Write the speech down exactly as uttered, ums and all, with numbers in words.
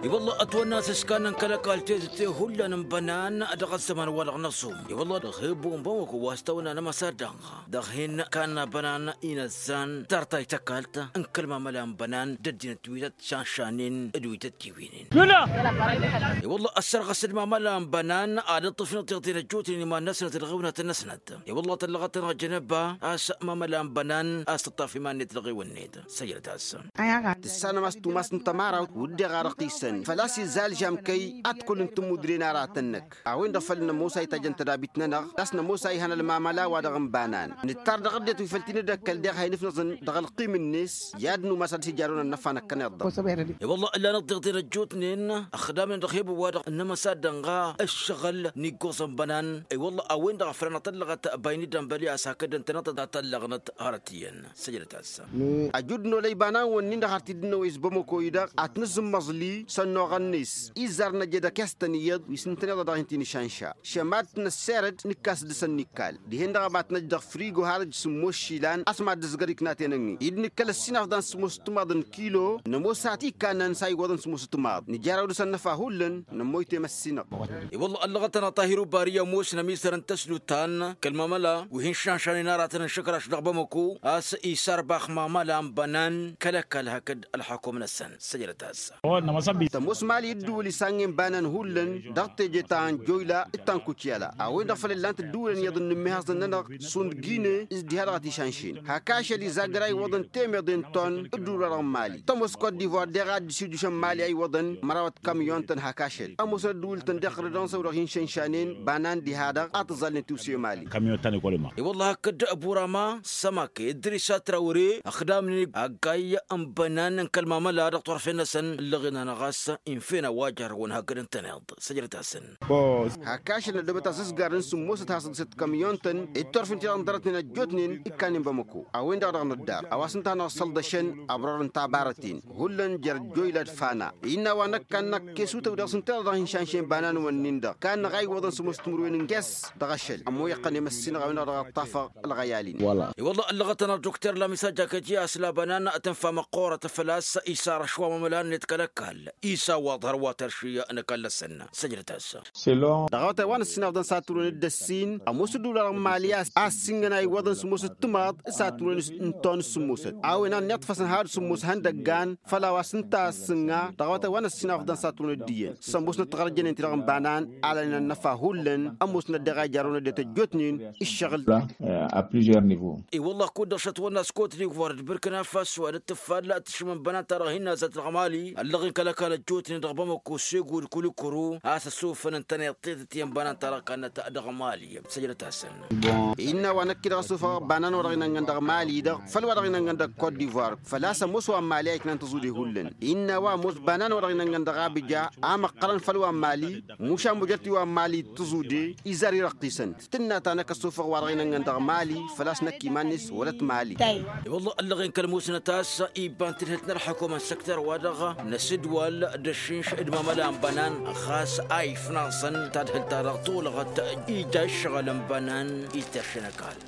I-wălla ătwănna s-ǝskanăn kăl-ăkall tezǝtte hullan n-bănan dăɣ-ăzzăman-wa-dăɣ n-aẓum. I-wălla dăɣ-he-ăbbu n-bamăko wa s-tawănna n-amăsadda dăɣ-hin-kanna bănan inăzzan tartayt ăkall n-kăl-mamăla n-bănan d-ăddinăt wi tăt-šanšanen d-wi tăt-tiwǝynen. I-wălla ăssărɣăs d-mamăla n-bănan ad-ǝṭṭǝfnăt tiɣtǝn ăjjootnen iman-năsnăt d-ɣiwǝnăt-năsnăt. I-wălla tăllăɣăt-tăn ăjjănăba a-s mamăla n-bănan a-s tǝṭṭaf iman-net d-ɣiwǝnnet. Săjdăt-as. Tǝssanăm a-s tumas n-tămărawt wǝdden ɣarăɣ-t isăn făl-a-s izzal žamkăy ad-t-kăwălăn tǝmmudre n-aratăn-năk. A-wen-dăɣ făl nămoos a itajăn tădabit-nănăɣ a-s nămoos a ihăn ălmamăla-wa-dăɣ n-banan. Nǝttar dăɣ-ăddinăt wi făl t-in-dd-ăkkăl deɣ ha-inǝfnăẓăn dăɣ-ălqim-net i-ad-numas ad-dăɣ-s ijarrăwăn ănnăfa n-ăkkăneḍ-dăɣ. I-wălla ǝllanăt tiɣtinen ăjjootnen ăxdamnen dăɣ-he-băwwa-dăɣ n-amăsadda ănɣa ǝššăɣǝl n-iggoẓăn bănan. I-wălla a-wen-dăɣ a făl anătăllăɣăt bayni dănbăli a-s hakd ǝntăneḍ ad-tăllăɣnăt hărăt iyyăn. Săjdăt-as. Ăjud n-olăy banan-wǝnnin-dăɣ har t-dd-năwăy s-bamăko-i-dăɣ ad-t-nǝzǝmmăẓli s-ănnuɣăn-net izzar n-ăjed ăkestăn iyyăḍ wi s-ǝntăneḍ ad-dăɣ-hin-t-inǝšanša šămad t-năsserăd nǝkkas dăɣ-săn n-ikkal. Dihen-dăɣ a ba t-năj dăɣ-frigo harăj sǝmmos išilan a-s mad-dăzgăr iknaten-ǝnni-i d-nǝkkăl ăssinafḍan sǝmmos ǝttǝmaḍ n-kilo nămoos a t-ikkanăn s-a iwwăḍăn sǝmmos ǝttǝmaḍ nǝjaraw dăɣ-săn năfa hullan. Nămmoy temăssinăɣ. I-wălla ăllăɣăt-tăn a tahir ubari ămoos n-ămiisăr n-tăslut ta n-kăl-mamăla wi hin-šanšanen aratăn n-išǝkraš dăɣ-bamăko a-s isarbax mamăla n-bănan kăl-ăkall hakd ălxakum-năsăn. Săjdăt-as. Tămoos mali ǝddǝwǝl isannen banan hullan dăɣ-teje ta n-joyla d-ta n-kutyala a-wen-dăɣ făl ǝllan-t ǝddǝwǝlăn iyyăḍ n-inǝmmihăẓăn-nănăɣ šund gine s-diha-dăɣ a t-išanšin hak ašăl izagăr a iwwăḍăn temeḍe n-ton ǝddǝwǝl-wa-dăɣ n-mali tămoos kot-divoir deɣ a dd-sijušăn mali a iwwăḍăn mărawăt kamyon-tăn hak ašăl ămoosăn ăddǝwǝl-tăn deɣ ɣǝrǝdăn s-a-wen-dăɣ hin-šanšanen banan diha-dăɣ a tǝẓalnen tiwse mali. I-wălla hakd burama sămake ǝddrisa trawre ăxdamnen ăggay n-bănan n-kăl-mamăla dăɣ-turfen-năsăn ǝllăɣen-anăɣ a-s infen a-wa jarrăwăn hakd ǝntăneḍ. Săjdăt-asăn. Hak ašăl năddobăt asǝzgar n-sǝmmosăt hasăḍsăt kamyon-tăn d-turfen-ti-dăɣ n-dărătnen ăjjootnen ikkanen bamăko a-wen-dăɣ dăɣ-năddar a-wa s-ǝnta a hanăɣ-sălḍăšăn abrar n-tabarăten hullan jer-joyla d-fana. Innă a-wa năkk kannăɣ kesutăw dăɣ-s ǝnta dăɣ-hin-šanšen banan-wǝnnin-dăɣ kannăɣ a iwwăḍăn sǝmmos timǝrwen n-ges dăɣ-ašăl ămmo iqqăn i-măssinăɣ a-wen-dăɣ dăɣ-ăṭṭafăɣ ălɣăyal-in. I-wălla ăllăɣăt-tăn ad-dukter lamisa jakăti a-s labanan tănfa măqqoorăt făl-a-s isar ăšwa mamăla-net kăl-ăkall isa wa ḍhăr wa tărši n-ăkall-năsăn. Săjdăt-as. Dăɣ-awătay wa n-ăssinafḍăn s-ad-tǝwrǝwăn d-ăssin ămoos ǝddǝwǝl-wa-dăɣ n-mali a-s a ǝssingăn a iwwăḍăn sǝmmos d-timaḍ s-ad-tǝwrǝwăn n-ton s-sǝmmosăt a-wen a ănniḍfăsăn had sǝmmos ihăndăggan făl a-wa s-ǝnta a ăssǝnga dăɣ-awătay wa n-ăssinafḍăn s-ad-tǝwrǝwăn d-iyyăn s-ămoosnăt tiɣărjănen-ti-dăɣ n-banan alănen ănnăfa hullan. Ămoosnăt deɣ a ijarrăwăn ăddinăt ăjjootnen ǝššăɣǝl. I-wălla kud-dăɣ šătwănna s-kot d-igvar d-bǝrkǝna faso ad-dd-tǝffall tǝššǝm n-bănan-ta-dăɣ hin-nazăt dăɣ-mali ăllăɣen kăl-ăkall ăjjootnen dăɣ-bamăko s-ego d-kulikuru a-s ăsufăn ǝntăneḍ tetăt i-n bănan-ta-dăɣ kannăt dăɣ-mali. Săjdăt-asăn. Innă a-wa năkk-i-dăɣ ăsufăɣ bănan-wa-dăɣ inănɣăn dăɣ-mali-dăɣ făll-wa-dăɣ inănɣăn dăɣ-kot divoir făl-a-s ămoos wa n-mali a iknan tăẓude hullan. Innă a-wa ămoos bănan-wa-dăɣ inănɣăn dăɣ-abǝja a măqqărăn făll-wa n-mali mušan bujăt-i wa n-mali tǝẓude izar irăqqisăn tǝnna ta năkk ăsufăɣ wa-dăɣ inănɣăn dăɣ-mali făl-a-s năkk iman-net wălăt mali. I-wălla ăllăɣen kăl-musnăt a-s iba n-tǝdhǝlt n-ălḥăkuma n-săktăr-wa-dăɣ n-asǝdwal d-ăššǝnš d-mamăla n-bănan ɣas a ifnaẓăn tadhǝlt-ta-dăɣ tolăɣăt ija ǝššăɣǝl n-bănan ităršăn ăkall.